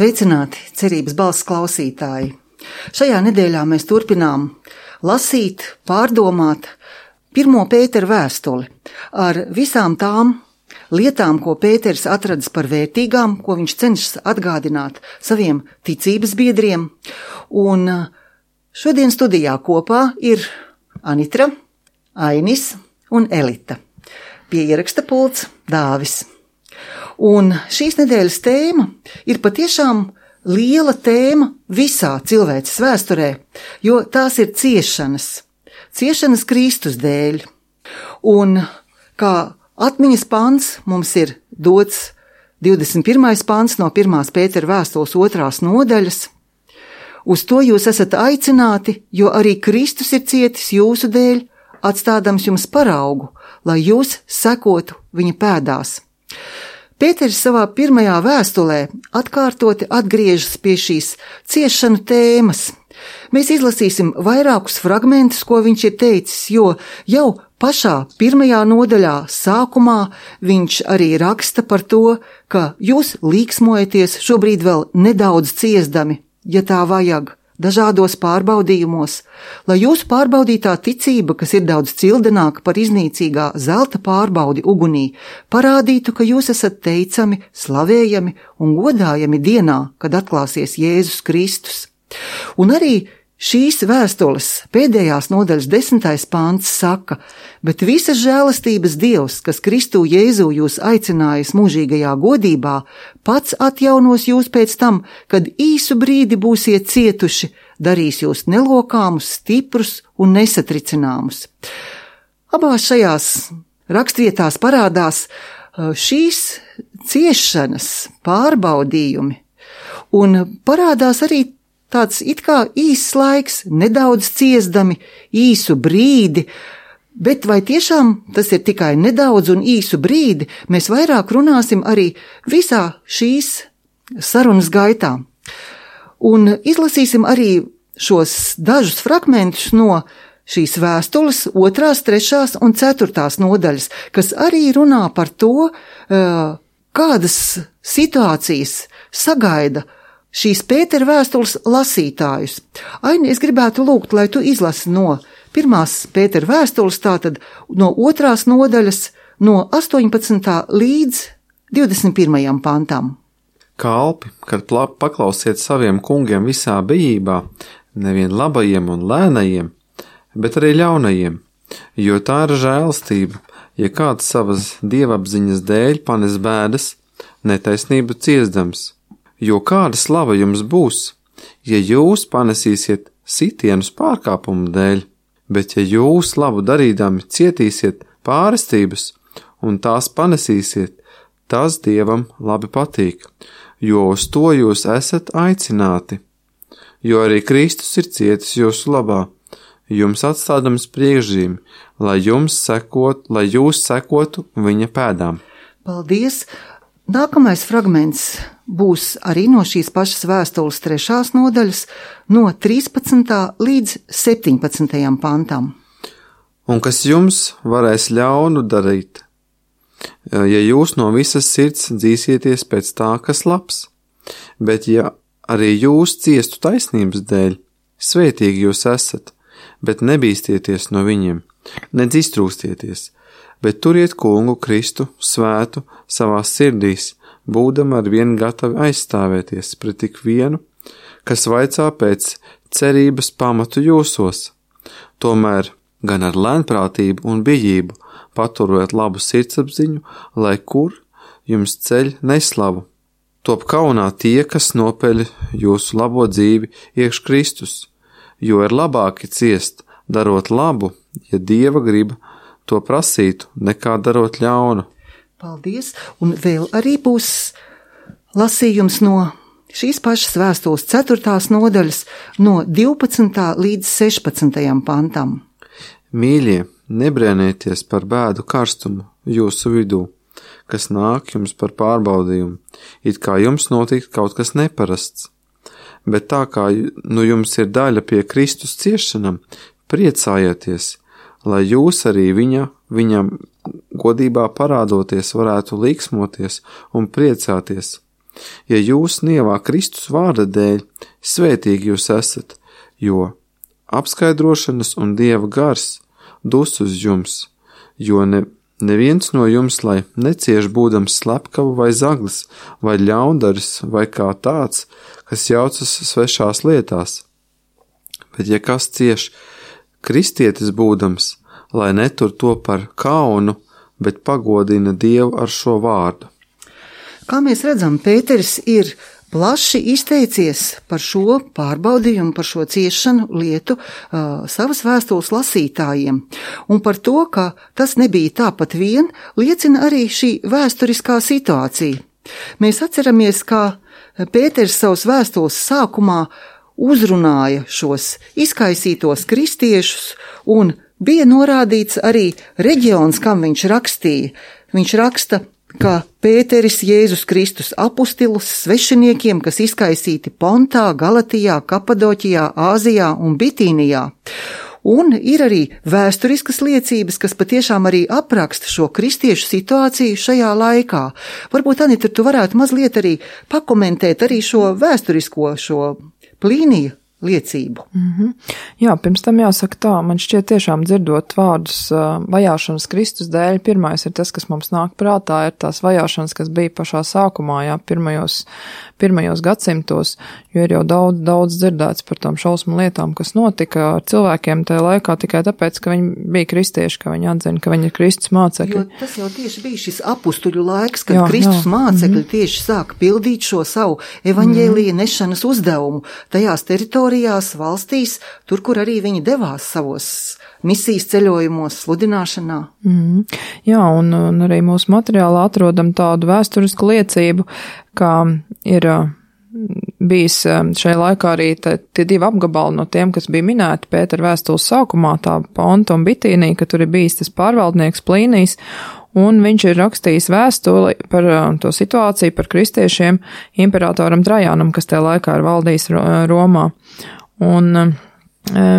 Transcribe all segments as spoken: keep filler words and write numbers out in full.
Sveicināti, cerības balss klausītāji! Šajā nedēļā mēs turpinām lasīt, pārdomāt pirmo Pētera vēstuli ar visām tām lietām, ko Pēters atradis par vērtīgām, ko viņš cenšas atgādināt saviem ticības biedriem. Un šodien studijā kopā ir Anitra, Ainis un Elita. Pie ieraksta pults Dāvis. Un šīs nedēļas tēma ir patiešām liela tēma visā cilvēces vēsturē, jo tās ir ciešanas, ciešanas Kristus dēļ. Un kā atmiņas pants mums ir dots divdesmit pirmais pants no pirmās Pētera vēstules otrās nodaļas. Uz to jūs esat aicināti, jo arī Kristus ir cietis jūsu dēļ, atstādams jums paraugu, lai jūs sekotu viņa pēdās. Pēters savā pirmajā vēstulē atkārtoti atgriežas pie šīs ciešanu tēmas. Mēs izlasīsim vairākus fragmentus, ko viņš ir teicis, jo jau pašā pirmajā nodaļā sākumā viņš arī raksta par to, ka jūs līksmojaties šobrīd vēl nedaudz ciesdami, ja tā vajag, dažādos pārbaudījumos, lai jūsu pārbaudītā ticība, kas ir daudz cildenāka par iznīcīgā zelta pārbaudi ugunī, parādītu, ka jūs esat teicami, slavējami un godājami dienā, kad atklāsies Jēzus Kristus. Un arī šīs vēstules pēdējās nodaļas desmitais pants saka, bet visas žēlastības Dievs, kas Kristu Jēzu jūs aicinājis mūžīgajā godībā, pats atjaunos jūs pēc tam, kad īsu brīdi būsiet cietuši, darīs jūs nelokāmus, stiprus un nesatricināmus. Abās šajās rakstvietās parādās šīs ciešanas pārbaudījumi un parādās arī tāds it kā īss laiks, nedaudz ciesdami, īsu brīdi, bet vai tiešām tas ir tikai nedaudz un īsu brīdi, mēs vairāk runāsim arī visā šīs sarunas gaitā. Un izlasīsim arī šos dažus fragmentus no šīs vēstules otrās, trešās un ceturtās nodaļas, kas arī runā par to, kādas situācijas sagaida šīs Pētera vēstules lasītājus. Aini, es gribētu lūgt, lai tu izlasi no pirmās Pētera vēstules, tātad no otrās nodaļas, no astoņpadsmitā līdz divdesmit pirmajam pantam. Kalpi, kad paklausiet saviem kungiem visā bijībā, nevien labajiem un lēnajiem, bet arī ļaunajiem, jo tā ir žēlastība, ja kāds savas dievapziņas dēļ panes bēdas, netaisnību ciesdams. Jo kāda slava jums būs, ja jūs panesīsiet sitienus pārkāpumu dēļ, bet ja jūs labu darīdami cietīsiet pārestības un tās panesīsiet, tas Dievam labi patīk, jo uz to jūs esat aicināti. Jo arī Kristus ir cietis jūsu labā, jums atstādams priekšzīmi, lai jums sekot, lai jūs sekotu viņa pēdām. Paldies! Nākamais fragments būs arī no šīs pašas vēstules trešās nodaļas, no trīspadsmitā līdz septiņpadsmitajam pantam. Un kas jums varēs ļaunu darīt, ja jūs no visas sirds dzīsieties pēc tā, kas labs, bet ja arī jūs ciestu taisnības dēļ, svētīgi jūs esat, bet nebīstieties no viņiem, nedz iztrūkstieties, bet turiet kungu Kristu svētu savās sirdīs, būdam ar vienu gatavi aizstāvēties pret tik vienu, kas vaicā pēc cerības pamatu jūsos. Tomēr gan ar lēnprātību un bijību paturot labu sirdsapziņu, lai kur jums ceļ neslavu. Top kaunā tie, kas nopeļ jūsu labo dzīvi iekš Kristus, jo ir labāki ciest, darot labu, ja Dieva griba to prasītu, nekā darot ļaunu. Paldies, un vēl arī būs lasījums no šīs pašas vēstules ceturtās nodaļas, no divpadsmitā līdz sešpadsmitajam pantam. Mīļie, nebrēnieties par bēdu karstumu jūsu vidū, kas nāk jums par pārbaudījumu, it kā jums notikt kaut kas neparasts. Bet tā kā nu jums ir daļa pie Kristus ciešanam, priecājieties, lai jūs arī viņa, viņam godībā parādoties varētu līksmoties un priecāties. Ja jūs nievā Kristus vārda dēļ, svētīgi jūs esat, jo apskaidrošanas un Dieva gars dus uz jums, jo ne, neviens no jums, lai necieš būdams slepkava vai zaglis, vai ļaundaris, vai kā tāds, kas jaucas svešās lietās. Bet ja kas cieš kristietis būdams, lai netur to par kaunu, bet pagodina Dievu ar šo vārdu. Kā mēs redzam, Pēteris ir plaši izteicies par šo pārbaudījumu, par šo ciešanu lietu uh, savas vēstules lasītājiem. Un par to, ka tas nebija tāpat vien, liecina arī šī vēsturiskā situācija. Mēs atceramies, ka Pēteris savas vēstules sākumā uzrunāja šos izkaisītos kristiešus un bija norādīts arī reģions, kam viņš rakstīja. Viņš raksta, ka Pēteris Jēzus Kristus apostilus svešiniekiem, kas izkaisīti Pontā, Galatijā, Kapadoķijā, Āzijā un Bitīnijā. Un ir arī vēsturiskas liecības, kas patiešām arī apraksta šo kristiešu situāciju šajā laikā. Varbūt, Anita, tu varētu mazliet arī pakomentēt arī šo vēsturisko, šo Plīnija liecību. Mm-hmm. Jā, pirms tam jāsaka tā, man šķiet tiešām dzirdot vārdus uh, vajāšanas Kristus dēļ, pirmais ir tas, kas mums nāk prātā, ir tās vajāšanas, kas bija pašā sākumā, jā, pirmajos, pirmajos gadsimtos, jo ir jau daudz, daudz dzirdēts par tām šausmu lietām, kas notika ar cilvēkiem tajā laikā tikai tāpēc, ka viņi bija kristieši, ka viņi atzina, ka viņi ir Kristus mācekļi. Jo tas jau tieši bija šis apustuļu laiks, kad jā, Kristus jā. mācekļi mm-hmm. tieši sāka pildīt šo savu evaņģēlija mm-hmm. nešanas uzdevumu tajās teritorijās, valstīs, tur, kur arī viņi devās savos misijas ceļojumos, sludināšanā. Mm. Jā, un, un arī mūsu materiālā atrodam tādu vēsturisku liecību, ka ir bijis šajā laikā arī tā, tie divi apgabali no tiem, kas bija minēti Pētera vēstules sākumā, tā Ponta un Bitīnija, ka tur ir bijis tas pārvaldnieks Plīnijs, un viņš ir rakstījis vēstuli par to situāciju, par kristiešiem imperatoram Trajānam, kas tajā laikā ir valdījis Romā. Un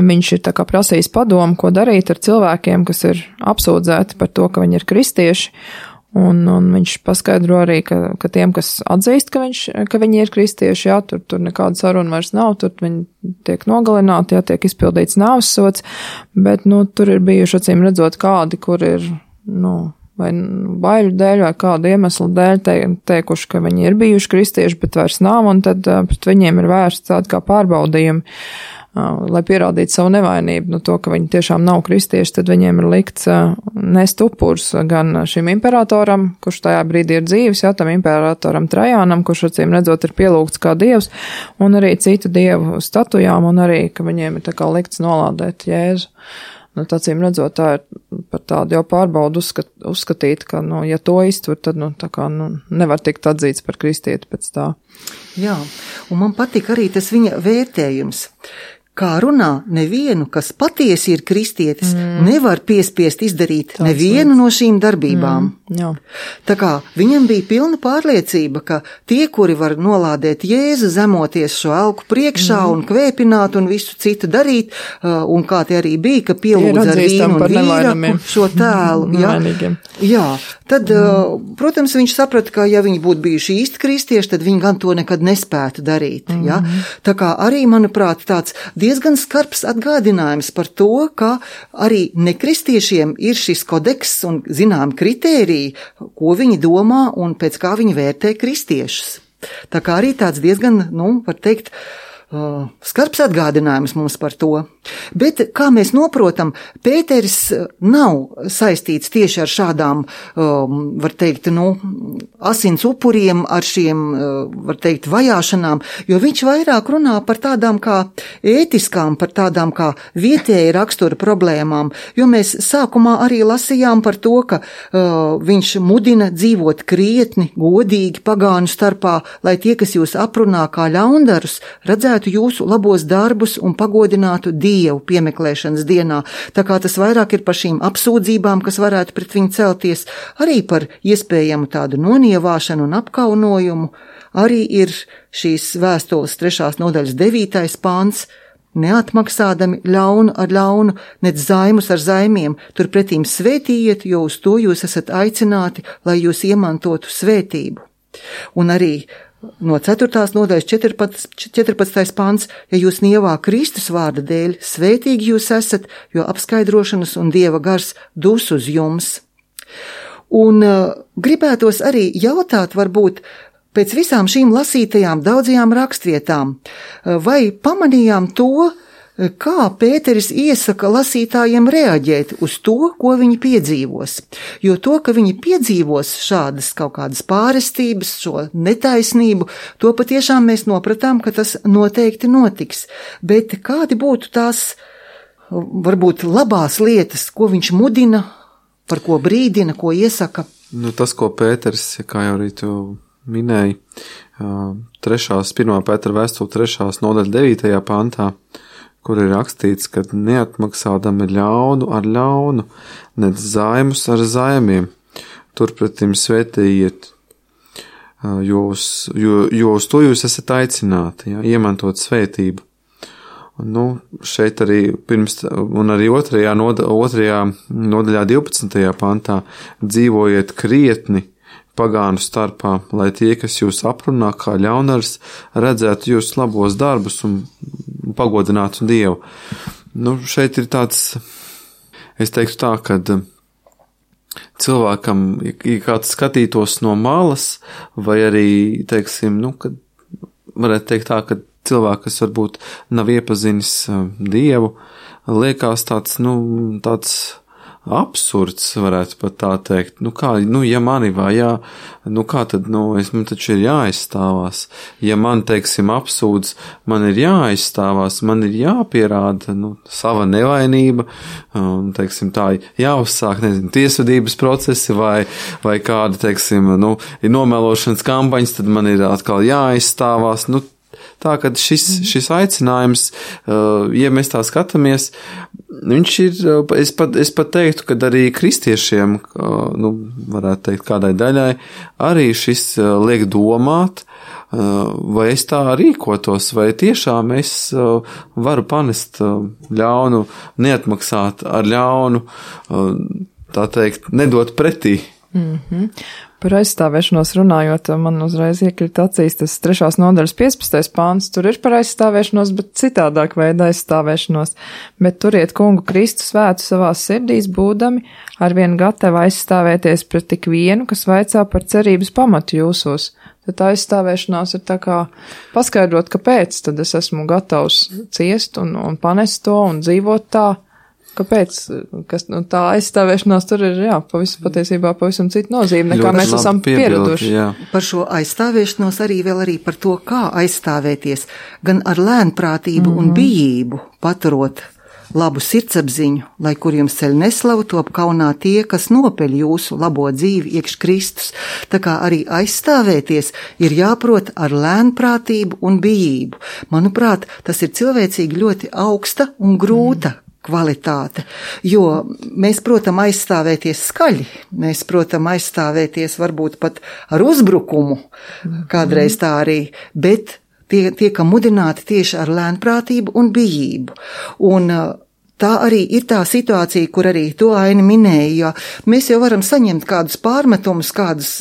viņš ir tā kā prasījis padomu, ko darīt ar cilvēkiem, kas ir apsūdzēti par to, ka viņi ir kristieši, un, un viņš paskaidro arī, ka, ka tiem, kas atzīst, ka, viņš, ka viņi ir kristieši, jā, tur, tur nekāda saruna vairs nav, tur viņi tiek nogalināti, jā, tiek izpildīts nāves sods, bet, nu, tur ir bijuši acīm redzot kādi, kur ir, nu, vai baiļu dēļ, vai kādu iemeslu dēļ te, teikuši, ka viņi ir bijuši kristieši, bet vairs nav, un tad pret viņiem ir vērsts tādi kā pārbaudījumi, lai pierādītu savu nevainību, no to, ka viņi tiešām nav kristieši, tad viņiem ir likts nest upurs gan šim imperatoram, kurš tajā brīdī ir dzīves, jā, tam imperatoram Trajānam, kurš acīm redzot ir pielūgts kā dievs, un arī citu dievu statujām, un arī, ka viņiem ir tā kā likts nolādēt Jēzu. Nu, acīm redzot, tā ir par tādu jau pārbaudu uzskat, uzskatīt, ka, nu, ja to iztur, tad, nu, tā kā, nu, nevar tikt atzīts par kristieti pēc tā. Jā, un man patika arī tas viņa vērtējums. Kā runā, nevienu, kas patiesi ir kristietis, mm. nevar piespiest izdarīt Tāds nevienu no šīm darbībām. Mm, jā. Tā kā viņam bija pilna pārliecība, ka tie, kuri var nolādēt Jēzu, zemoties šo elku priekšā mm. un kvēpināt un visu citu darīt, un kā tie arī bija, ka pielūdz ar vīnu un vīraku šo tēlu. Jā, jā, tad, mm. protams, viņš saprata, ka ja viņi būtu bijuši īsti kristieši, tad viņi gan to nekad nespētu darīt. Mm. Jā. Tā kā arī, manuprāt, tāds diezgan skarbs atgādinājums par to, ka arī nekristiešiem ir šis kodeks un zinām kritēriji, ko viņi domā un pēc kā viņi vērtē kristiešus. Tā kā arī tāds diezgan, nu, var teikt, uh, skarbs atgādinājums mums par to. Bet, kā mēs noprotam, Pēteris nav saistīts tieši ar šādām, um, var teikt, nu, asins upuriem, ar šiem, uh, var teikt, vajāšanām, jo viņš vairāk runā par tādām kā ētiskām, par tādām kā vietēja rakstura problēmām, jo mēs sākumā arī lasījām par to, ka uh, viņš mudina dzīvot krietni, godīgi pagānu starpā, lai tie, kas jūs aprunā kā ļaundarus, redzētu jūsu labos darbus un pagodinātu Dievu piemeklēšanas dienā, tā kā tas vairāk ir par šīm apsūdzībām, kas varētu pret viņu celties, arī par iespējamu tādu nonievāšanu un apkaunojumu, arī ir šīs vēstules trešās nodaļas devītais pāns, neatmaksādami ļaunu ar ļaunu, nec zaimus ar zaimiem, turpretīm svētījiet, jo uz to jūs esat aicināti, lai jūs iemantotu svētību. Un arī no ceturtās nodaļas četrpadsmitais pants, ja jūs nievā Kristus vārda dēļ, svētīgi jūs esat, jo apskaidrošanas un Dieva gars dus uz jums. Un uh, gribētos arī jautāt, varbūt, pēc visām šīm lasītajām daudzajām rakstvietām, uh, vai pamanījām to, kā Pēteris iesaka lasītājiem reaģēt uz to, ko viņi piedzīvos. Jo to, ka viņi piedzīvos šādas kaut kādas pārestības, šo netaisnību, to patiešām mēs nopratām, ka tas noteikti notiks. Bet kādi būtu tās, varbūt, labās lietas, ko viņš mudina, par ko brīdina, ko iesaka? Nu, tas, ko Pēteris, kā jau arī tu minēji, trešās, pirmā Pētera vēstule trešās nodaļa devītajā pantā, kur ir rakstīts, ka neatmaksādami ļaunu ar ļaunu, nec zaimus ar zaimiem, turpretim svētījiet, jo uz, jo, jo uz to jūs esat aicināti, ja, iemantot svētību. Nu, šeit arī pirms, un arī otrajā, noda, otrajā nodaļā divpadsmitajā pantā dzīvojiet krietni pagānu starpā, lai tie, kas jūs aprunā kā ļaunars, redzētu jūsu labos darbus un pagodinātu Dievu. Nu, šeit ir tāds, es teiktu tā, kad cilvēkam, ja kāds skatītos no malas, vai arī, teiksim, nu, kad varētu teikt tā, ka cilvēks, kas varbūt nav iepazinis Dievu, liekas tāds, nu, tāds absurds, varētu pat tā teikt. Nu kā, nu ja mani vajā, nu kā tad, nu es, man taču ir jāaizstāvās. Ja man, teiksim, apsūdz, man ir jāaizstāvās, man ir jāpierāda, nu, sava nevainība, um, teiksim, tā jāuzsāk, nezinu, tiesvedības procesi vai, vai kāda, teiksim, nu, ir nomelošanas kampaņas, tad man ir atkal jāaizstāvās, nu, tā, ka šis, šis aicinājums, ja mēs tā skatāmies, viņš ir, es pat, es pat teiktu, ka arī kristiešiem, nu, varētu teikt kādai daļai, arī šis liek domāt, vai es tā rīkotos, vai tiešām es varu panest ļaunu, neatmaksāt ar ļaunu, tā teikt, nedot pretī. Mm-hmm. Par aizstāvēšanos runājot, man uzreiz iekrīt acīs tas trešās nodaļas piecpadsmitais pāns, tur ir par aizstāvēšanos, bet citādāk veida aizstāvēšanos, bet turiet kungu Kristu svētu savās sirdīs, būdami arvien gatavi aizstāvēties pret tik vienu, kas vaicā par cerības pamatu jūsos. Tad aizstāvēšanās ir tā kā paskaidrot, kāpēc tad es esmu gatavs ciest un, un panest to un dzīvot tā. Kāpēc? Kas, nu, tā aizstāvēšanās tur ir, jā, pavisam, patiesībā pavisam cita nozīme, nekā Ļoti mēs esam pieraduši. Par šo aizstāvēšanos arī vēl arī par to, kā aizstāvēties, gan ar lēnprātību mm-hmm. un bijību, paturot labu sirdsapziņu, lai kur jums ceļ neslavu, top kaunā tie, kas nopeļ jūsu labo dzīvi iekš Kristus. Tā kā arī aizstāvēties ir jāprot ar lēnprātību un bijību. Manuprāt, tas ir cilvēcīgi ļoti augsta un grūta mm. kvalitāte, jo mēs, protam, aizstāvēties skaļi, mēs, protam, aizstāvēties varbūt pat ar uzbrukumu, kādreiz tā arī, bet tie, tiekam mudināti tieši ar lēnprātību un bijību. Un tā arī ir tā situācija, kur arī to Aini minēja, jo mēs jau varam saņemt kādus pārmetumus, kādus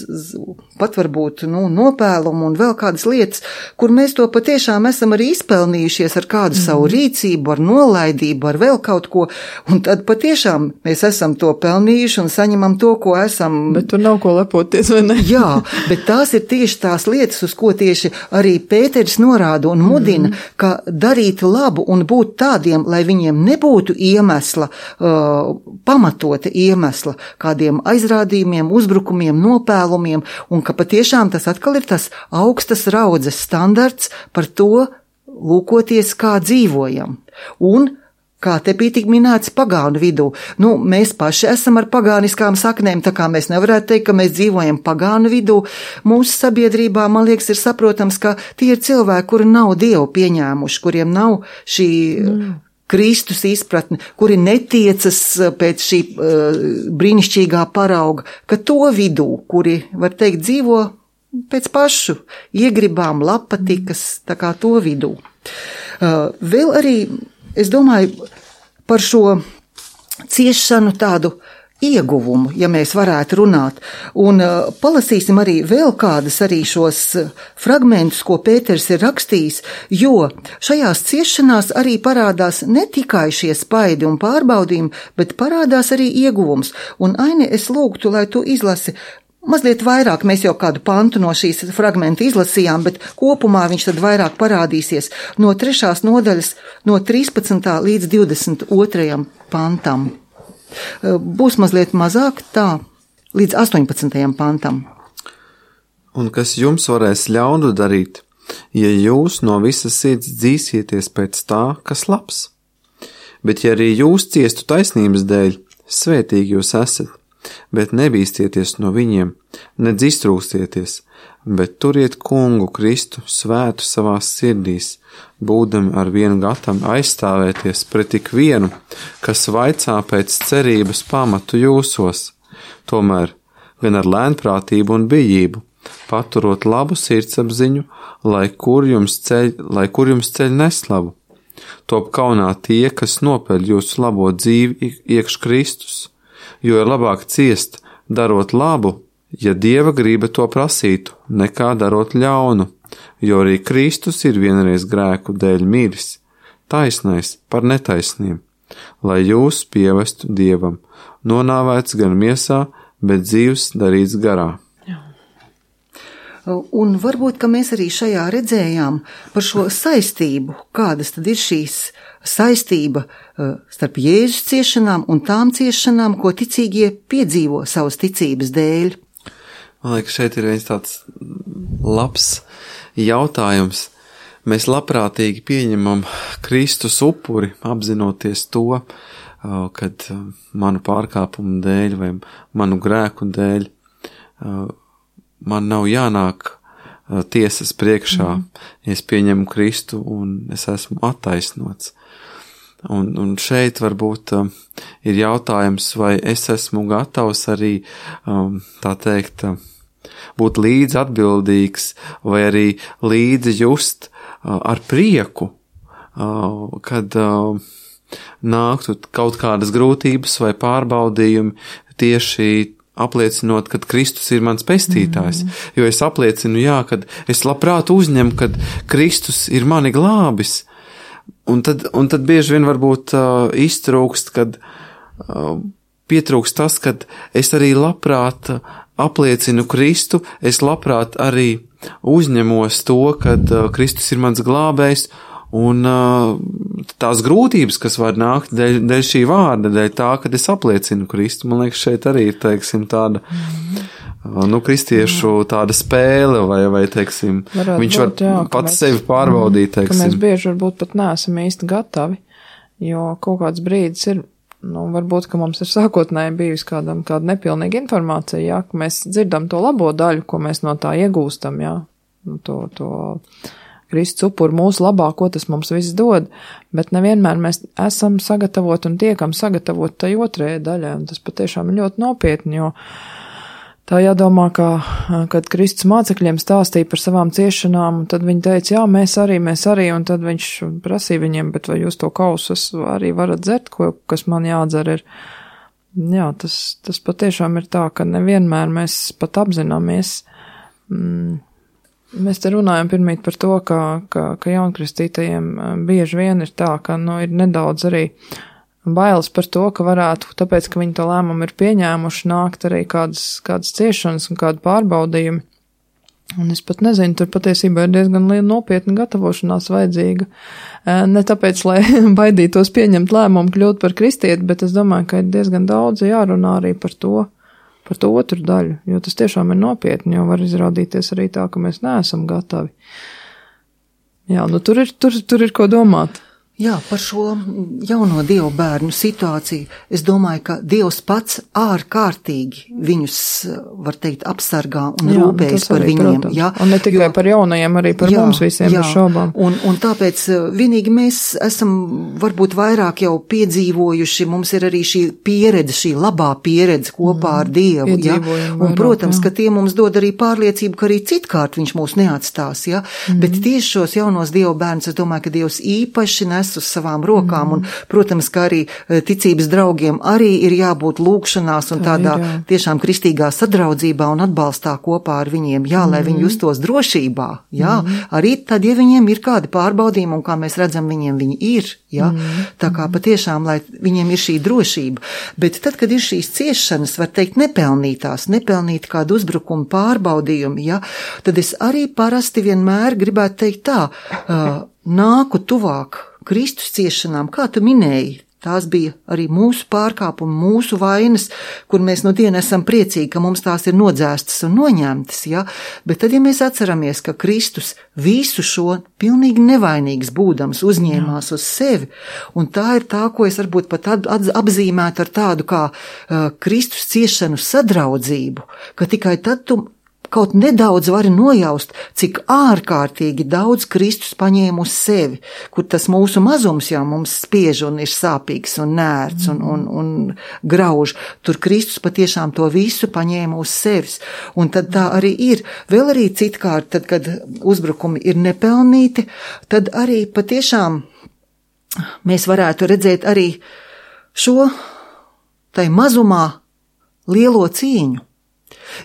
pat varbūt, nu, nopēlumu un vēl kādas lietas, kur mēs to patiešām esam arī izpelnījušies ar kādu mm. savu rīcību, ar nolaidību, ar vēl kaut ko, un tad patiešām mēs esam to pelnījuši un saņemam to, ko esam. Bet tur nav ko lepoties, vai ne? Jā, bet tās ir tieši tās lietas, uz ko tieši arī Pēteris norāda un mudina, mm. ka darīt labu un būt tādiem, lai viņiem nebūtu iemesla, uh, pamatota iemesla kādiem aizrādījumiem, uzbrukumiem, nopēlumiem, un ka patiešām tas atkal ir tas augstas raudzes standarts par to lūkoties, kā dzīvojam. Un, kā te bija tik minēts pagānu vidū, nu, mēs paši esam ar pagāniskām saknēm, tā kā mēs nevarētu teikt, ka mēs dzīvojam pagānu vidū. Mūsu sabiedrībā, man liekas, ir saprotams, ka tie ir cilvēki, kuri nav Dievu pieņēmuši, kuriem nav šī mm. Kristus izpratne, kuri netiecas pēc šī uh, brīnišķīgā parauga, ka to vidū, kuri, var teikt, dzīvo pēc pašu iegribām, labpatikas, tā kā to vidū. Uh, vēl arī, es domāju, par šo ciešanu tādu ieguvumu, ja mēs varētu runāt. Un uh, palasīsim arī vēl kādas arī šos fragmentus, ko Pēters ir rakstījis, jo šajās ciešanās arī parādās ne tikai šie spaidi un pārbaudījumi, bet parādās arī ieguvums. Un Aini, es lūgtu, lai tu izlasi mazliet vairāk, mēs jau kādu pantu no šīs fragmenta izlasījām, bet kopumā viņš tad vairāk parādīsies no trešās nodaļas, no trīspadsmitā līdz divdesmit otrajam pantam. Būs mazliet mazāk tā, līdz astoņpadsmitajam pantam. Un kas jums varēs ļaunu darīt, ja jūs no visas sirds dzīsieties pēc tā, kas labs? Bet ja arī jūs ciestu taisnības dēļ, svētīgi jūs esat, bet nebīstieties no viņiem, nedz iztrūkstieties, bet turiet kungu Kristu svētu savās sirdīs, būdami ar vienu gatavi aizstāvēties pret tik vienu, kas vaicā pēc cerības pamatu jūsos, tomēr gan ar lēnprātību un bijību, paturot labu sirdsapziņu, lai kur jums ceļ, lai kur jums ceļ neslavu. Top kaunā tie, kas nopeļ jūsu labo dzīvi iekš Kristus, jo ir labāk ciest, darot labu, ja Dieva griba to prasītu, nekā darot ļaunu, jo arī Kristus ir vienreiz grēku dēļ miris, taisnais par netaisniem, lai jūs pievestu Dievam, nonāvēts gan miesā, bet dzīvs darīts garā. Un varbūt, ka mēs arī šajā redzējām par šo saistību, kādas tad ir šīs saistība starp Jēzus ciešanām un tām ciešanām, ko ticīgie piedzīvo savas ticības dēļ. Man liekas, šeit ir viens tāds labs jautājums. Mēs labprātīgi pieņemam Kristus upuri, apzinoties to, kad manu pārkāpumu dēļ vai manu grēku dēļ man nav jānāk tiesas priekšā, mm. ja es pieņemu Kristu un es esmu attaisnots. Un, un šeit varbūt um, ir jautājums, vai es esmu gatavs arī, um, tā teikt, būt līdzi atbildīgs vai arī līdzi just uh, ar prieku, uh, kad uh, nāktu kaut kādas grūtības vai pārbaudījumi tieši apliecinot, ka Kristus ir mans pestītājs, mm. jo es apliecinu, jā, kad es labprāt uzņemu, kad Kristus ir mani glābis, un tad, un tad bieži vien varbūt uh, iztrūkst, kad uh, pietrūkst tas, kad es arī labprāt apliecinu Kristu, es labprāt arī uzņemos to, kad uh, Kristus ir mans glābējs, un uh, tās grūtības, kas var nākt dēļ, dēļ šī vārda, dēļ tā, kad es apliecinu Kristu, man liekas, šeit arī ir, teiksim, tāda, uh, nu, kristiešu tāda spēle, vai, vai teiksim, varētu viņš būt, var jā, pats mēs, sevi pārbaudīt, teiksim. Ka mēs bieži varbūt pat neesam īsti gatavi, jo kaut kāds brīdis ir, nu, varbūt, ka mums ir sākotnēji bijusi kādam, kāda nepilnīga informācija, jā, ka mēs dzirdam to labo daļu, ko mēs no tā iegūstam, jā, nu, to, to, Kristus upur mūsu labā, ko tas mums viss dod, bet nevienmēr mēs esam sagatavoti un tiekam sagatavoti tai otrajai daļai, un tas patiešām ir ļoti nopietni, jo tā jādomā, ka, kad Kristus mācekļiem stāstīja par savām ciešanām, un tad viņi teica, jā, mēs arī, mēs arī, un tad viņš prasīja viņiem, bet vai jūs to kausus arī varat dzert, ko, kas man jādzer ir. Jā, tas, tas patiešām ir tā, ka nevienmēr mēs pat apzināmies, mm, mēs te runājam pirmīt par to, ka, ka, ka jaunkristītajiem bieži vien ir tā, ka, nu, ir nedaudz arī bailes par to, ka varētu, tāpēc, ka viņi to lēmumu ir pieņēmuši, nākt arī kādas, kādas ciešanas un kādu pārbaudījumi. Un es pat nezinu, tur patiesībā ir diezgan liela nopietna gatavošanās vajadzīga. Ne tāpēc, lai baidītos pieņemt lēmumu kļūt par kristieti, bet es domāju, ka ir diezgan daudz jārunā arī par to, par to otru daļu, jo tas tiešām ir nopietni, jo var izrādīties arī tā, ka mēs neesam gatavi. Jā, nu tur ir, tur, tur ir ko domāt. Jā, par šo jauno Dievu bērnu situāciju. Es domāju, ka Dievs pats ārkārtīgi viņus, var teikt, apsargā un jā, rūpējas par viņiem. Protams. Jā, un ne tikai jo, par jaunajiem, arī par jā, mums visiem jā, bez šaubām. Un, un tāpēc vienīgi mēs esam varbūt vairāk jau piedzīvojuši, mums ir arī šī pieredze, šī labā pieredze kopā mm, ar Dievu. Jā. Un, vairāk, protams, jā. Ka tie mums dod arī pārliecību, ka arī citkārt viņš mūs neatstās. Jā. Mm. Bet tieši šos jaunos Dievu bērnus, es domāju, ka Dievs īpaši nes nes uz savām rokām, mm. un, protams, kā arī ticības draugiem arī ir jābūt lūgšanās un Tā tādā ir, tiešām kristīgā sadraudzībā un atbalstā kopā ar viņiem, jā, lai mm. viņi justos drošībā, jā, mm. arī tad, ja viņiem ir kādi pārbaudījumi, un kā mēs redzam, viņiem viņi ir, jā, mm. tā kā patiešām, lai viņiem ir šī drošība, bet tad, kad ir šīs ciešanas, var teikt, nepelnītās, nepelnīt kādu uzbrukumu pārbaudījumi, jā, tad es arī parasti vienmēr gribētu teikt tā, uh, nāku tuvāk Kristus ciešanām, kā tu minēji, tās bija arī mūsu pārkāpumi, mūsu vainas, kur mēs no diena esam priecīgi, ka mums tās ir nodzēstas un noņemtas, ja? Bet tad, ja mēs atceramies, ka Kristus visu šo pilnīgi nevainīgs būdams uzņēmās Jā. Uz sevi, un tā ir tā, ko es varbūt pat apzīmētu ar tādu kā uh, Kristus ciešanu sadraudzību, ka tikai tad tu kaut nedaudz vari nojaust, cik ārkārtīgi daudz Kristus paņēma uz sevi, kur tas mūsu mazums jau mums spiež un ir sāpīgs un nērts un, un, un grauž. Tur Kristus patiešām to visu paņēma uz sevis. Un tad tā arī ir. Vēl arī citkārt, tad, kad uzbrukumi ir nepelnīti, tad arī patiešām mēs varētu redzēt arī šo tai mazumā lielo cīņu.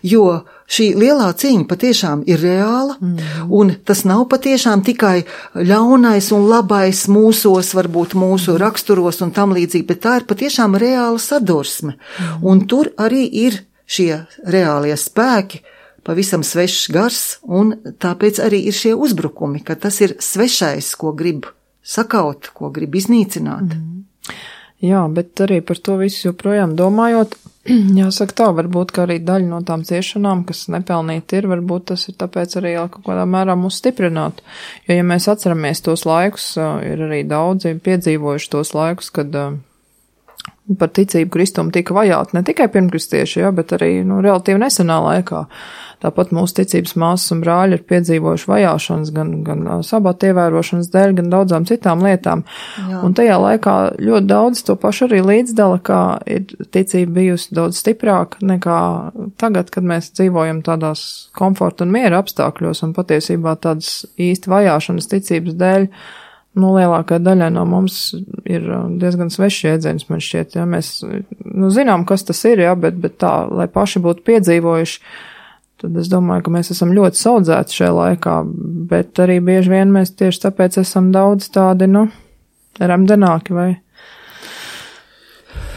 Jo šī lielā cīņa patiešām ir reāla, mm. un tas nav patiešām tikai ļaunais un labais mūsos, varbūt mūsu raksturos un tam līdzīgi, bet tā ir patiešām reāla sadursme. Mm. Un tur arī ir šie reālie spēki, pavisam svešs gars, un tāpēc arī ir šie uzbrukumi, ka tas ir svešais, ko grib sakaut, ko grib iznīcināt. Mm. Jā, bet arī par to visu joprojām domājot, jāsaka tā, varbūt, ka arī daļa no tām ciešanām, kas nepelnīti ir, varbūt tas ir tāpēc arī kaut kādā mērā mūs stiprināt. Jo, ja mēs atceramies tos laikus, ir arī daudzi piedzīvojuši tos laikus, kad par ticību Kristumu tika vajāti ne tikai pirmkristieši, ja, bet arī nu, relatīvi nesenā laikā. Tāpat mūsu ticības māsas un brāļi ir piedzīvojuši vajāšanas gan, gan sabata ievērošanas dēļ, gan daudzām citām lietām. Jā. Un tajā laikā ļoti daudz to pašu arī līdzdala, kā ir ticība bijusi daudz stiprāka nekā tagad, kad mēs dzīvojam tādās komforta un miera apstākļos un patiesībā tādas īsti vajāšanas ticības dēļ. Nu, lielākā daļa no mums ir diezgan svešs jēdziens, man šķiet, ja mēs nu, zinām, kas tas ir, ja, bet, bet tā, lai paši būtu piedzīvojuši, tad es domāju, ka mēs esam ļoti saudzēti šajā laikā, bet arī bieži vien mēs tieši tāpēc esam daudz tādi, nu, remdenāki vai.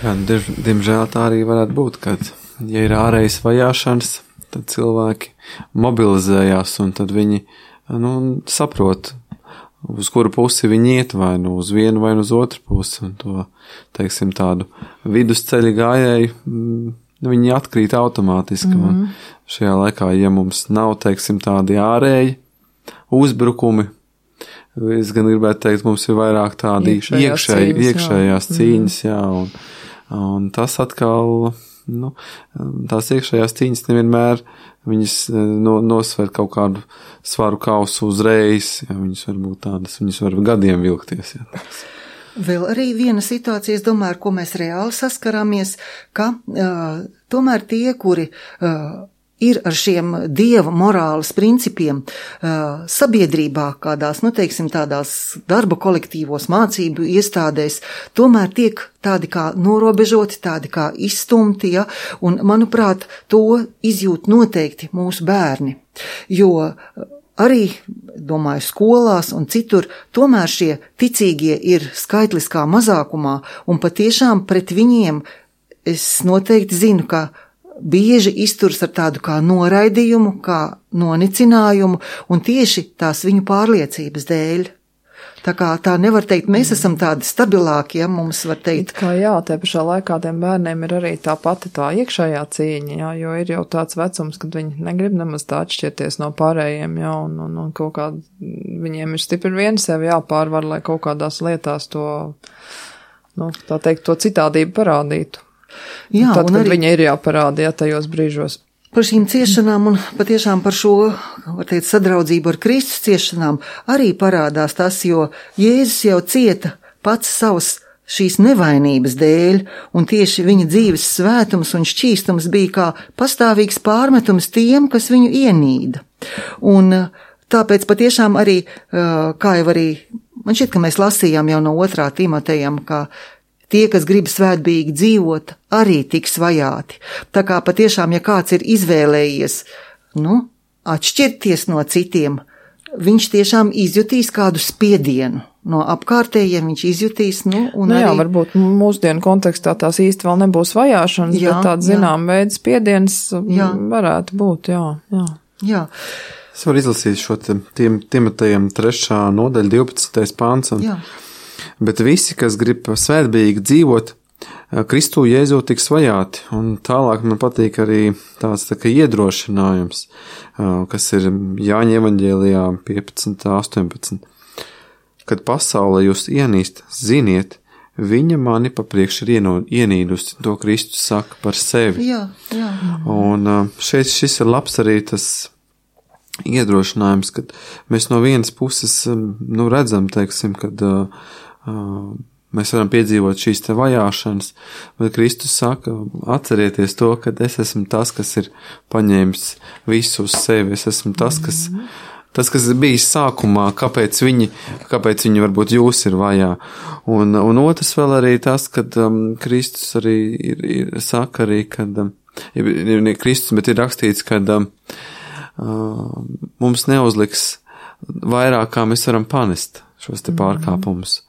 Jā, diemžēl tā arī varētu būt, kad, ja ir ārējas vajāšanas, tad cilvēki mobilizējās un tad viņi, nu, saprot, uz kuru pusi viņi iet, vai nu uz vienu, vai nu uz otru pusi, un to, teiksim, tādu vidusceļa gājēju, viņi atkrīt automātiski, mm-hmm. un šajā laikā, ja mums nav, teiksim, tādi ārēji uzbrukumi, es gan gribētu teikt, mums ir vairāk tādi iekšējās iekšēj, cīņas, iekšējās jā. cīņas, jā, un, un tas atkal, nu, tās iekšējās cīņas nevienmēr viņas no, nosver kaut kādu svaru kausu uzreiz, ja viņas var būt tādas, viņas var gadiem vilkties. Ja. Vēl arī viena situācija, es domāju, ar ko mēs reāli saskaramies, ka uh, tomēr tie, kuri uh, ir ar šiem dieva morāles principiem uh, sabiedrībā, kādās, nu teiksim, tādās darba kolektīvos mācību iestādēs, tomēr tiek tādi kā norobežoti, tādi kā izstumti, ja, un, manuprāt, to izjūt noteikti mūsu bērni, jo arī, domāju, skolās un citur, tomēr šie ticīgie ir skaitliskā mazākumā, un patiešām pret viņiem es noteikti zinu, ka bieži izturs ar tādu kā noraidījumu, kā nonicinājumu, un tieši tās viņu pārliecības dēļ. Tā kā tā nevar teikt, mēs esam tādi stabilāki, ja mums var teikt. It kā jā, te pašā laikā tiem bērniem ir arī tā pati tā iekšējā cīņa, jā, jo ir jau tāds vecums, kad viņi negrib nemaz tā atšķirties no pārējiem, jā, un, un, un kaut kā viņiem ir stipri vien sevi jāpārvar, lai kaut kādās lietās to, nu, tā teikt, to citādību parādītu. Jā, tad, kad arī viņa ir jāparāda, jā, tajos brīžos. Par šīm ciešanām un patiešām par šo, var teikt, sadraudzību ar Kristus ciešanām arī parādās tas, jo Jēzus jau cieta pats savas šīs nevainības dēļ, un tieši viņa dzīves svētums un šķīstums bija kā pastāvīgs pārmetums tiem, kas viņu ienīda. Un tāpēc patiešām arī, kā jau arī man šķiet, ka mēs lasījām jau no otrā Timotejam, ka tie, kas grib svētbīgi dzīvot, arī tiks vajāti. Tā kā patiešām, ja kāds ir izvēlējies, nu, atšķirties no citiem, viņš tiešām izjutīs kādu spiedienu. No apkārtējiem viņš izjutīs, nu, un nu, jā, arī... varbūt mūsdienu kontekstā tās īsti vēl nebūs vajāšanas, jā, bet tāds zinām veids spiediens jā. varētu būt, jā, jā. Jā. Es varu izlasīt šo tiem Timotejam trešā nodaļa divpadsmitais pāns. Un, bet visi, kas grib svētbīgi dzīvot, Kristu Jēzu tiks vajāti. Un tālāk man patīk arī tāds tā kā iedrošinājums, kas ir Jāņa evaņģēlijā piecpadsmit, astoņpadsmit. Kad pasaule jūs ienīst, ziniet, viņa mani papriekš ir ienīdusi, to Kristus saka par sevi. Jā, jā. Un šeit šis ir labs arī tas iedrošinājums, kad mēs no vienas puses, nu, redzam, teiksim, kad uh, mēs varam piedzīvot šīs te vajāšanas, bet Kristus saka, atcerieties to, ka es esmu tas, kas ir paņēmis visu uz sevi, es esmu tas, kas, tas, kas ir bijis sākumā, kāpēc viņi, kāpēc viņi varbūt jūs ir vajā. Un, un otrs vēl arī tas, kad um, Kristus arī ir, ir, saka arī, kad, um, ir, ne Kristus, bet ir rakstīts, kad um, uh, mums neuzliks vairāk, kā mēs varam panest šos te pārkāpumus.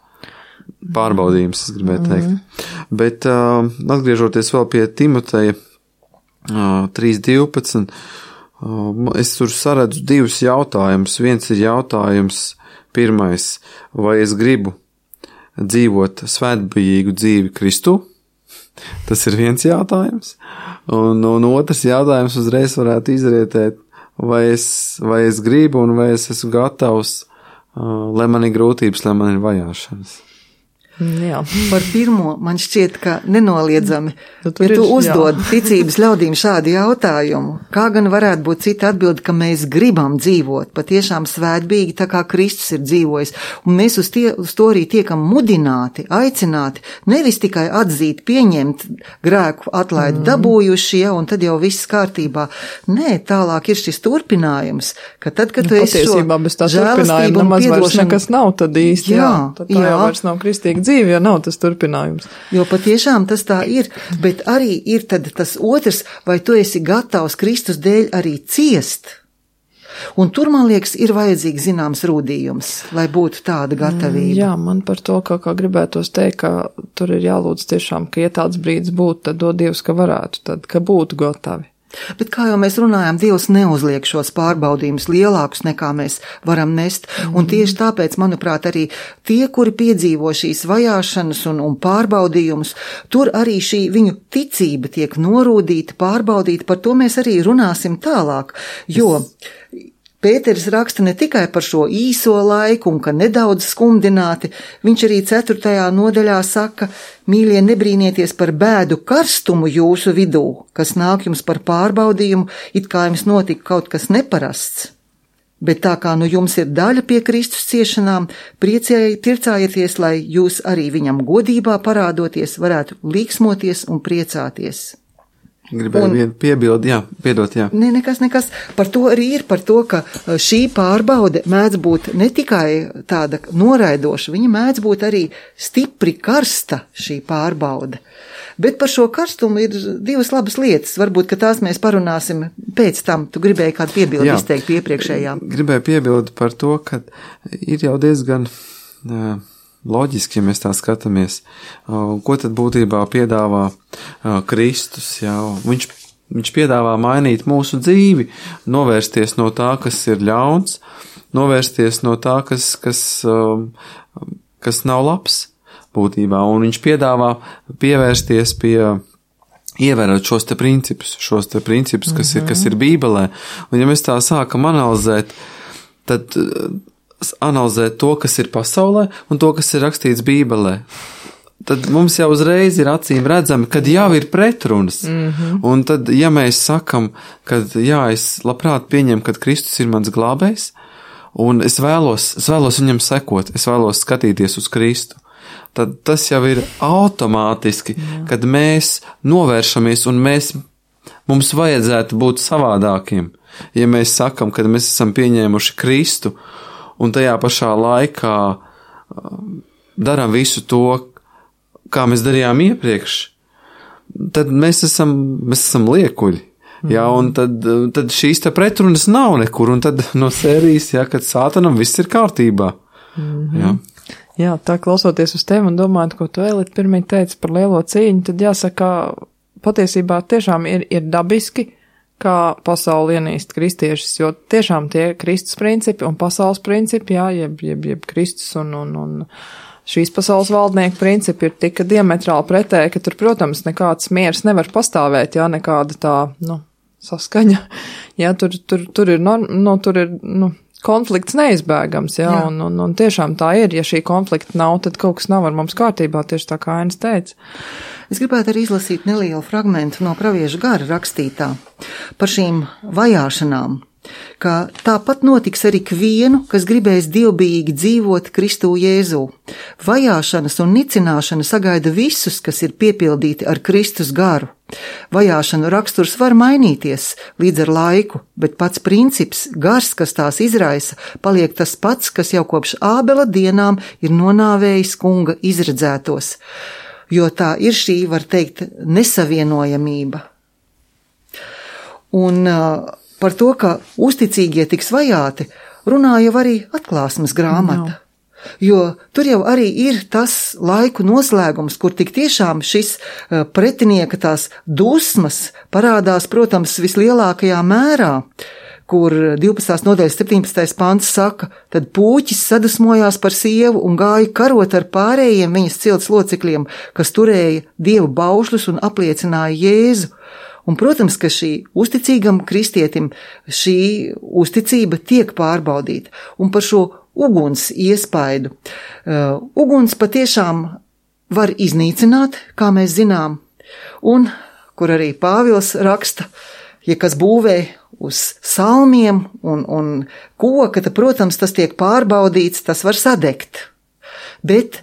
Pārbaudījums, es gribēju teikt. Mm. Bet uh, atgriežoties vēl pie Timoteja uh, trīs divpadsmit, uh, es tur saredzu divus jautājumus. Viens ir jautājums pirmais, vai es gribu dzīvot svētbijīgu dzīvi Kristu? Tas ir viens jautājums. Un, un otrs jautājums uzreiz varētu izrietēt, vai es, vai es gribu un vai es esmu gatavs, uh, lai man ir grūtības, lai man ir vajāšanas. Jā. Par pirmo man šķiet, ka nenoliedzami, nu, ja tu ir, uzdod jā. ticības ļaudīm šādu jautājumu, kā gan varētu būt cita atbilde, ka mēs gribam dzīvot patiešām svētbīgi, tā kā Kristus ir dzīvojis, un mēs uz, tie, uz to arī tiekam mudināti, aicināti, nevis tikai atzīt, pieņemt grēku atlaidi mm. dabūjuši, ja, un tad jau viss kārtībā. Nē, tālāk ir šis turpinājums, ka tad, kad tu nu, esi šo žēlastību un piedošanu, nekas nav tad īsti, jā, jā tad tā jā. jau vairs nav kristīga dzīve, ja nav tas turpinājums. Jo patiešām tas tā ir, bet arī ir tad tas otrs, vai tu esi gatavs Kristus dēļ arī ciest. Un tur, man liekas, ir vajadzīgs zināms rūdījums, lai būtu tāda gatavība. Jā, man par to, kā, kā gribētos teikt, ka tur ir jālūdz tiešām, ka ja tāds brīdis būtu, tad dod Dievs, ka varētu, tad, ka būtu gatavi. Bet kā jau mēs runājām, Dievs neuzliek šos pārbaudījumus lielākus nekā mēs varam nest, mm. un tieši tāpēc, manuprāt, arī tie, kuri piedzīvo šīs vajāšanas un, un pārbaudījumus, tur arī šī viņu ticība tiek norūdīta, pārbaudīta, par to mēs arī runāsim tālāk, jo Pēteris raksta ne tikai par šo īso laiku un ka nedaudz skumdināti, viņš arī ceturtajā nodaļā saka, mīļie, nebrīnieties par bēdu karstumu jūsu vidū, kas nāk jums par pārbaudījumu, it kā jums notika kaut kas neparasts. Bet tā kā nu jums ir daļa pie Kristus ciešanām, priecēji tircājieties, lai jūs arī viņam godībā parādoties, varētu līksmoties un priecāties. Gribēju un, vien piebildi, jā, piedot, jā. Ne, nekas, nekas. Par to arī ir, par to, ka šī pārbaude mēdz būt ne tikai tāda noraidoša, viņa mēdz būt arī stipri karsta šī pārbaude. Bet par šo karstumu ir divas labas lietas. Varbūt, ka tās mēs parunāsim pēc tam. Tu gribēji kādu piebildi izteikt pie iepriekšējā. Gribēju piebildi par to, ka ir jau diezgan uh, loģiski, ja mēs tā skatāmies, ko tad būtībā piedāvā Kristus, jā, viņš, viņš piedāvā mainīt mūsu dzīvi, novērsties no tā, kas ir ļauns, novērsties no tā, kas, kas, kas nav labs būtībā, un viņš piedāvā pievērsties pie, ievērot šos te principus, šos te principus, kas ir, kas ir Bībelē, un ja mēs tā sākam analizēt, tad analizēt to, kas ir pasaulē un to, kas ir rakstīts Bībelē, tad mums jau uzreiz ir acīm redzami, kad jau ir pretrunas. Mm-hmm. Un tad, ja mēs sakam, kad jā, es labprāt pieņemu, kad Kristus ir mans glābējs, un es vēlos, es vēlos viņam sekot, es vēlos skatīties uz Kristu, tad tas jau ir automātiski, jā. Kad mēs novēršamies un mēs, mums vajadzētu būt savādākiem. Ja mēs sakam, kad mēs esam pieņēmuši Kristu, un tajā pašā laikā darām visu to, kā mēs darījām iepriekš, tad mēs esam, mēs esam liekuļi. Jā, un tad, tad šīs te pretrunas nav nekur, un tad no sērijas, jā, kad sātanam viss ir kārtībā. Mm-hmm. Jā. Jā, tā klausoties uz tevi un domājot, ko tu Elita pirmīt teici par lielo cīņu, tad jāsaka, patiesībā tiešām ir, ir dabiski, kā pasauli ienīst kristiešus, jo tiešām tie Kristus principi un pasaules principi, jā, jeb, jeb, jeb Kristus un, un, un šīs pasaules valdnieku principi ir tik diametrāli pretēji, ka tur, protams, nekāds miers nevar pastāvēt, jā, nekāda tā, nu, saskaņa, jā, tur, tur, tur ir, no, no, tur ir, nu, konflikts neizbēgams, jā, jā. Un, un, un tiešām tā ir, ja šī konflikta nav, tad kaut kas nav ar mums kārtībā, tieši tā kā Ainis teica. Es gribētu arī izlasīt nelielu fragmentu no pravieša gara rakstītā par šīm vajāšanām, ka tāpat notiks ar ikvienu, kas gribēs dievbijīgi dzīvot Kristū Jēzū. Vajāšanas un nicināšana sagaida visus, kas ir piepildīti ar Kristus garu. Vajāšanu raksturs var mainīties līdz ar laiku, bet pats princips, gars, kas tās izraisa, paliek tas pats, kas jau kopš Ābela dienām ir nonāvējis kunga izredzētos, jo tā ir šī, var teikt, nesavienojamība. Un uh, par to, ka uzticīgie tiks vajāti, runāja arī atklāsmes grāmata. No. Jo tur jau arī ir tas laiku noslēgums, kur tik tiešām šis pretinieka tās dusmas parādās, protams, vislielākajā mērā, kur divpadsmitās nodaļas septiņpadsmitais pants saka, tad pūķis sadusmojās par sievu un gāja karot ar pārējiem viņas cilts locekļiem, kas turēja dievu baušļus un apliecināja Jēzu. Un, protams, ka šī uzticīgam kristietim šī uzticība tiek pārbaudīta. Un par šo uguns iespaidu. Uh, uguns patiešām var iznīcināt, kā mēs zinām, un, kur arī Pāvils raksta, ja kas būvē uz salmiem un, un koka, tad, protams, tas tiek pārbaudīts, tas var sadegt. Bet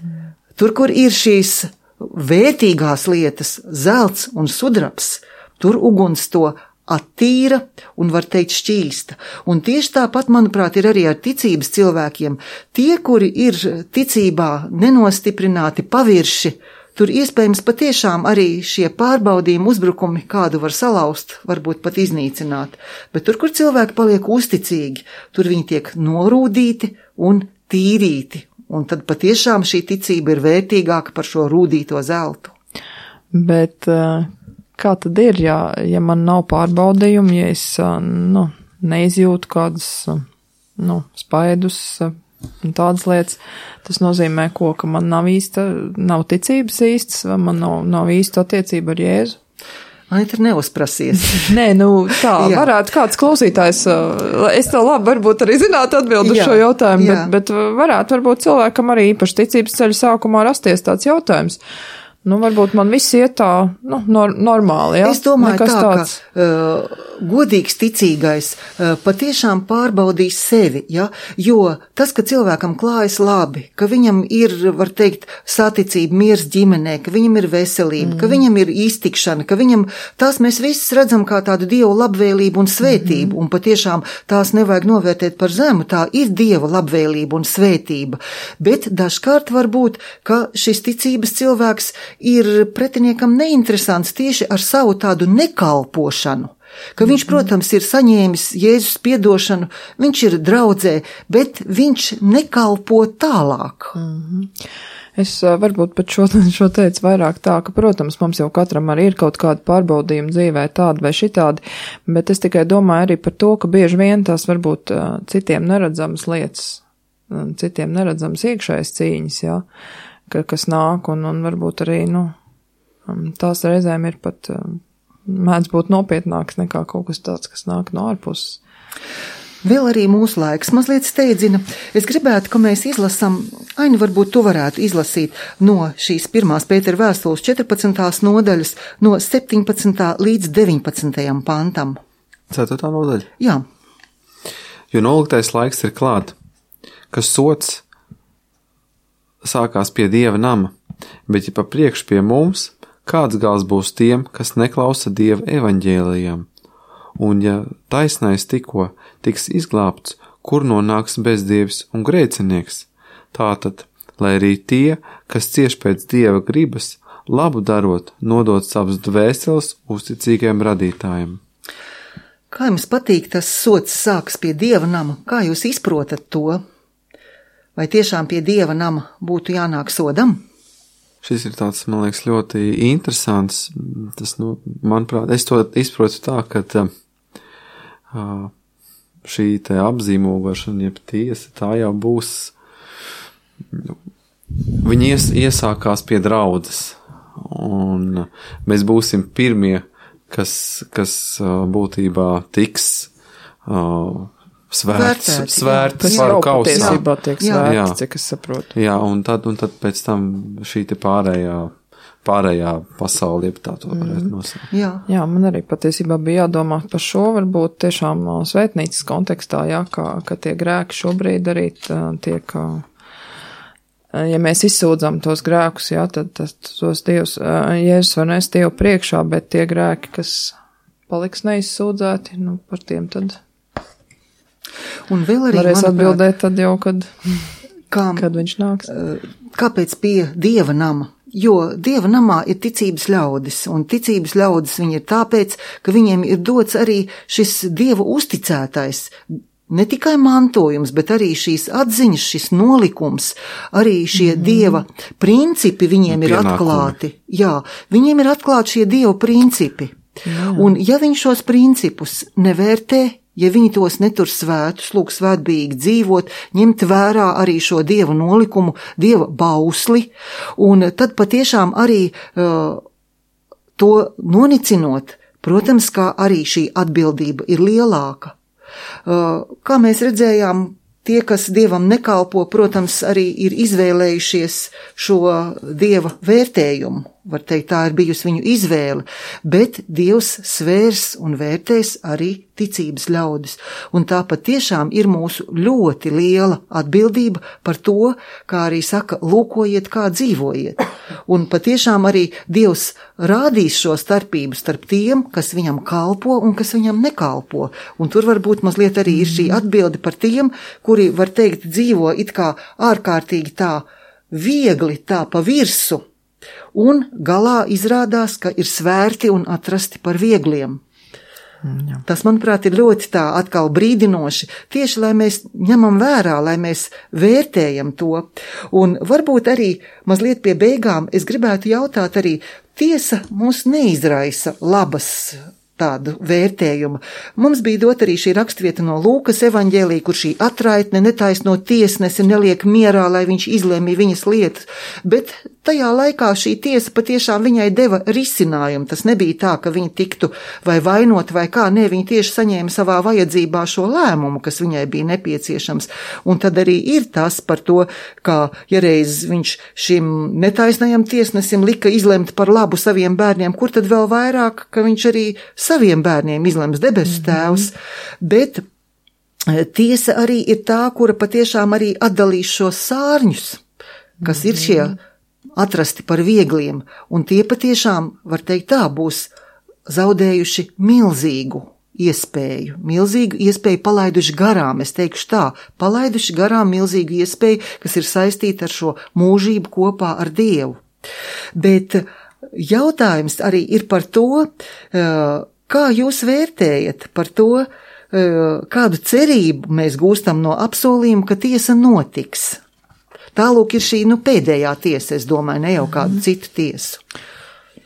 tur, kur ir šīs vērtīgās lietas, zelts un sudrabs, tur uguns to attīra un, var teikt, šķīsta. Un tieši tāpat, manuprāt, ir arī ar ticības cilvēkiem. Tie, kuri ir ticībā nenostiprināti pavirši, tur iespējams patiešām arī šie pārbaudījumi, uzbrukumi kādu var salauzt, varbūt pat iznīcināt. Bet tur, kur cilvēki paliek uzticīgi, tur viņi tiek norūdīti un tīrīti. Un tad patiešām šī ticība ir vērtīgāka par šo rūdīto zeltu. Bet uh... kā tad ir, ja, ja man nav pārbaudījumi, ja es nu, neizjūtu kādus nu, spaidus un tādas lietas, tas nozīmē ko, ka man nav īsta, nav ticības īstas, vai man nav, nav īsta attiecība ar Jēzu? Anita, neuzprasies. Nē, nu tā, varētu kāds klausītājs, es tev labi varbūt arī zinātu atbildu uz šo jautājumu, bet, bet varētu varbūt cilvēkam arī īpaši ticības ceļa sākumā rasties tāds jautājums. Nu, varbūt man viss iet tā, nu, nor- normāli, jā? Es domāju Nekas tā, tāds... ka uh, godīgs ticīgais uh, patiešām pārbaudīs sevi, ja? Jo tas, ka cilvēkam klājas labi, ka viņam ir, var teikt, saticība, miers ģimenē, ka viņam ir veselība, mm. ka viņam ir iztikšana, ka viņam, tās mēs visus redzam kā tādu Dievu labvēlību un svētību, mm. un patiešām tās nevajag novērtēt par zemu, tā ir Dieva labvēlība un svētība, bet dažkārt var būt, ka šis ticības cilvēks ir pretiniekam neinteresants tieši ar savu tādu nekalpošanu, ka viņš, protams, ir saņēmis Jēzus piedošanu, viņš ir draudzē, bet viņš nekalpo tālāk. Mm-hmm. Es varbūt pat šo, šo teicu vairāk tā, ka, protams, mums jau katram arī ir kaut kāda pārbaudījuma dzīvē tāda vai šitādi, bet es tikai domāju arī par to, ka bieži vien tās varbūt citiem neredzamas lietas, citiem neredzamas iekšējas cīņas, jā. Ka, kas nāk, un, un varbūt arī, nu, tās reizēm ir pat mēdz būt nopietnāks nekā kaut kas tāds, kas nāk no ārpuses. Vēl arī mūsu laiks mazliet steidzina. Es gribētu, ka mēs izlasam, Aini, varbūt tu varētu izlasīt no šīs pirmās Pētera vēstules četrpadsmitās nodaļas, no septiņpadsmitā līdz deviņpadsmitajam pantam. Ceturtā nodaļa? Jā. Jo noliktais laiks ir klāt, ka sots sākās pie Dieva nama, bet ja pa priekš pie mums, kāds gals būs tiem, kas neklausa Dieva evaņģēlijam? Un ja taisnais tikko tiks izglābts, kur nonāks bezdievs un grēcinieks? Tātad, lai arī tie, kas cieš pēc Dieva gribas, labu darot, nodot savus dvēseles uzticīgiem radītājiem. Kā jums patīk tas sods sāks pie Dieva nama? Kā jūs izprotat to? Vai tiešām pie Dieva nama būtu jānāk sodam? Šis ir tāds, man liekas, ļoti interesants. Tas, nu, manuprāt, es to izprotu tā, ka uh, šī te apzīmogošana, jeb tiesa, tā jau būs, nu, viņi ies, iesākās pie draudzes, un mēs būsim pirmie, kas, kas uh, būtībā tiks uh, svērts, Vērtēti, svērts Tas par jau kausā. patiesībā tiek Jā. Jā. svērts, cik es saprotu. Jā, un tad, un tad pēc tam šī te pārējā, pārējā pasaule, jeb tā to varētu nosaukt. Jā. Jā, man arī patiesībā bija jādomā par šo, varbūt tiešām ā, svētnīcas kontekstā, jā, kā, ka tie grēki šobrīd arī tā, tiek, ā, ja mēs izsūdzam tos grēkus, jā, tad tas, tos Dievs, ā, Jēzus var nest Dievu priekšā, bet tie grēki, kas paliks neizsūdzēti, nu, par tiem tad Un vēl arī, varēs manuprāt, atbildēt tad jau, kad, kā, kad viņš nāks. kāpēc pie Dieva nama? Jo Dieva namā ir ticības ļaudis, un ticības ļaudis viņi ir tāpēc, ka viņiem ir dots arī šis Dieva uzticētais, ne tikai mantojums, bet arī šīs atziņas, šis nolikums, arī šie mm. Dieva principi viņiem ir Pienākumi. atklāti. Jā, viņiem ir atklāti šie Dieva principi. Jā. Un ja viņi šos principus nevērtē, ja viņi tos netur svētus, lūk svētbīgi dzīvot, ņemt vērā arī šo Dieva nolikumu, Dieva bausli, un tad patiešām arī uh, to nonicinot, protams, kā arī šī atbildība ir lielāka. Uh, kā mēs redzējām, tie, kas Dievam nekalpo, protams, arī ir izvēlējušies šo Dieva vērtējumu. Var teikt, tā ir bijusi viņu izvēle, bet Dievs svērs un vērtēs arī ticības ļaudis. Un tā patiešām ir mūsu ļoti liela atbildība par to, kā arī saka, lūkojiet, kā dzīvojiet. Un patiešām arī Dievs rādīs šo starpību starp tiem, kas viņam kalpo un kas viņam nekalpo. Un tur varbūt mazliet arī ir šī atbilde par tiem, kuri, var teikt, dzīvo it kā ārkārtīgi tā viegli, tā pa virsu. Un galā izrādās, ka ir svērti un atrasti par viegliem. Jā. Tas, manuprāt, ir ļoti tā atkal brīdinoši, tieši lai mēs ņemam vērā, lai mēs vērtējam to. Un varbūt arī mazliet pie beigām es gribētu jautāt arī, tiesa mūs neizraisa labas tādu vērtējumu. Mums bija dot arī šī rakstvieta no Lūkas evaņģēlija, kur šī atraitne netaisno tiesnesi neliek mierā, lai viņš izlēmī viņas lietas, bet tajā laikā šī tiesa patiešām viņai deva risinājumu. Tas nebija tā, ka viņa tiktu vai vainot vai kā, ne, viņa tieši saņēma savā vajadzībā šo lēmumu, kas viņai bija nepieciešams. Un tad arī ir tas par to, kā ja reiz viņš šim netaisnajam tiesnesim lika izlemt par labu saviem bērniem, kur tad vēl vairāk, ka viņš arī saviem bērniem izlems debesu tēvs, bet tiesa arī ir tā, kura patiešām arī atdalīs šos sārņus, kas ir šie atrasti par viegliem, un tie patiešām, var teikt tā, būs zaudējuši milzīgu iespēju, milzīgu iespēju palaiduši garām, es teikšu tā, palaiduši garām milzīgu iespēju, kas ir saistīta ar šo mūžību kopā ar Dievu. Bet jautājums arī ir par to, kā jūs vērtējat par to, kādu cerību mēs gūstam no apsolījuma, ka tiesa notiks. Tālūk ir šī, nu, pēdējā tiesa, es domāju, ne jau kādu citu tiesu.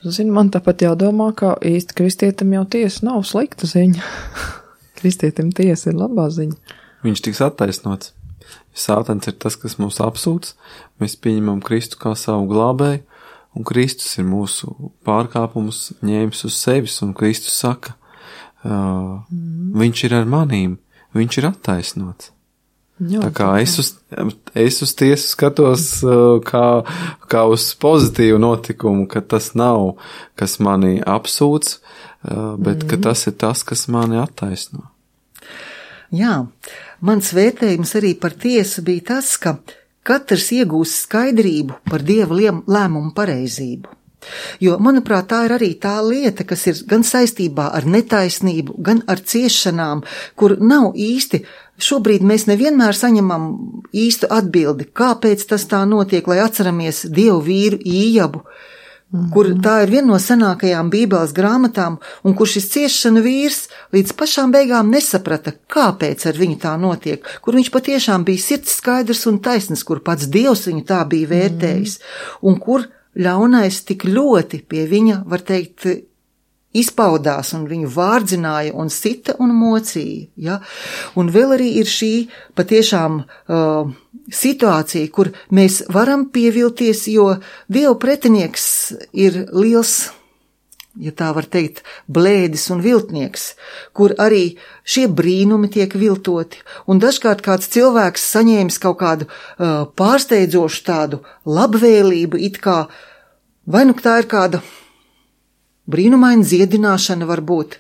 Zini, man tāpat jādomā, ka īsti kristietim jau tiesa nav slikta ziņa. Kristietim tiesa ir labā ziņa. Viņš tiks attaisnots. Sātans ir tas, kas mūs apsūdz, mēs pieņemam Kristu kā savu glābēju, un Kristus ir mūsu pārkāpumus ņēmis uz sevis, un Kristus saka, uh, mm. viņš ir ar manīm, viņš ir attaisnots. Jā, tā kā es uz, es uz tiesu skatos uh, kā, kā uz pozitīvu notikumu, ka tas nav, kas mani apsūdz, uh, bet mm. ka tas ir tas, kas mani attaisno. Jā, mans vērtējums arī par tiesu bija tas, ka katrs iegūst skaidrību par Dieva lēmumu pareizību. Jo, manuprāt, tā ir arī tā lieta, kas ir gan saistībā ar netaisnību, gan ar ciešanām, kur nav īsti, šobrīd mēs nevienmēr saņemam īstu atbildi, kāpēc tas tā notiek, lai atceramies Dievu vīru Ījabu, mm-hmm. kur tā ir viena no senākajām Bībeles grāmatām, un kur šis ciešana vīrs līdz pašām beigām nesaprata, kāpēc ar viņu tā notiek, kur viņš patiešām bija sirds skaidrs un taisns, kur pats Dievs viņu tā bija vērtējis, mm-hmm. un kur ļaunais tik ļoti pie viņa, var teikt, izpaudās un viņu vārdzināja un sita un mocīja. Ja? Un vēl arī ir šī patiešām uh, situācija, kur mēs varam pievilties, jo Dieva pretinieks ir liels, ja tā var teikt, blēdis un viltnieks, kur arī šie brīnumi tiek viltoti. Un dažkārt kāds cilvēks saņēmis kaut kādu uh, pārsteidzošu tādu labvēlību, it kā, vai nu tā ir kāda brīnumaina dziedināšana varbūt,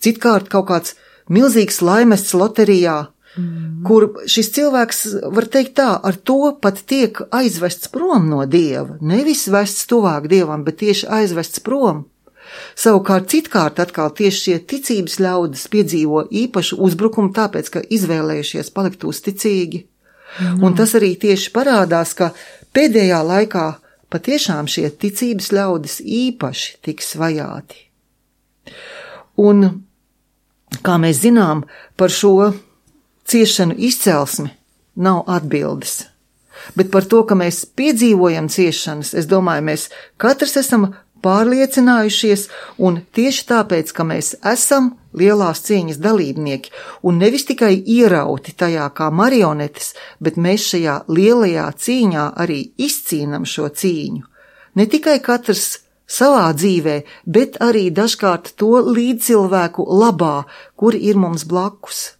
citkārt kaut kāds milzīgs laimests loterijā, mm. kur šis cilvēks, var teikt tā, ar to pat tiek aizvests prom no Dieva, nevis vests tuvāk Dievam, bet tieši aizvests prom. Savukārt citkārt atkal tieši šie ticības ļaudis piedzīvo īpašu uzbrukumu tāpēc, ka izvēlējušies palikt uzticīgi. Mm. Un tas arī tieši parādās, ka pēdējā laikā patiešām šie ticības ļaudis īpaši tiks vajāti. Un, kā mēs zinām, par šo ciešanu izcelsmi nav atbildes. Bet par to, ka mēs piedzīvojam ciešanas, es domāju, mēs katrs esam pārliecinājušies, un tieši tāpēc, ka mēs esam lielās cīņas dalībnieki, un nevis tikai ierauti tajā kā marionetes, bet mēs šajā lielajā cīņā arī izcīnam šo cīņu. Ne tikai katrs savā dzīvē, bet arī dažkārt to līdzcilvēku labā, kuri ir mums blakus.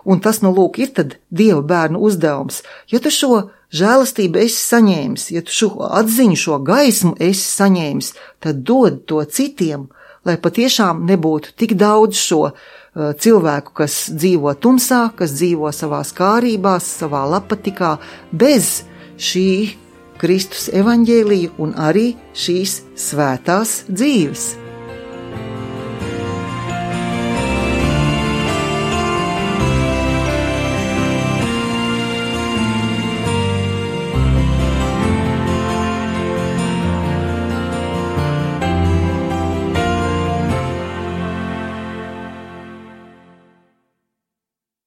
Un tas, nu lūk, ir tad Dieva bērnu uzdevums. Ja tu šo žēlastību esi saņēmis, ja tu šo atziņu, šo gaismu esi saņēmis, tad dod to citiem, lai patiešām nebūtu tik daudz šo uh, cilvēku, kas dzīvo tumsā, kas dzīvo savās kārībās, savā lapatikā, bez šī Kristus evaņģēlija un arī šīs svētās dzīves.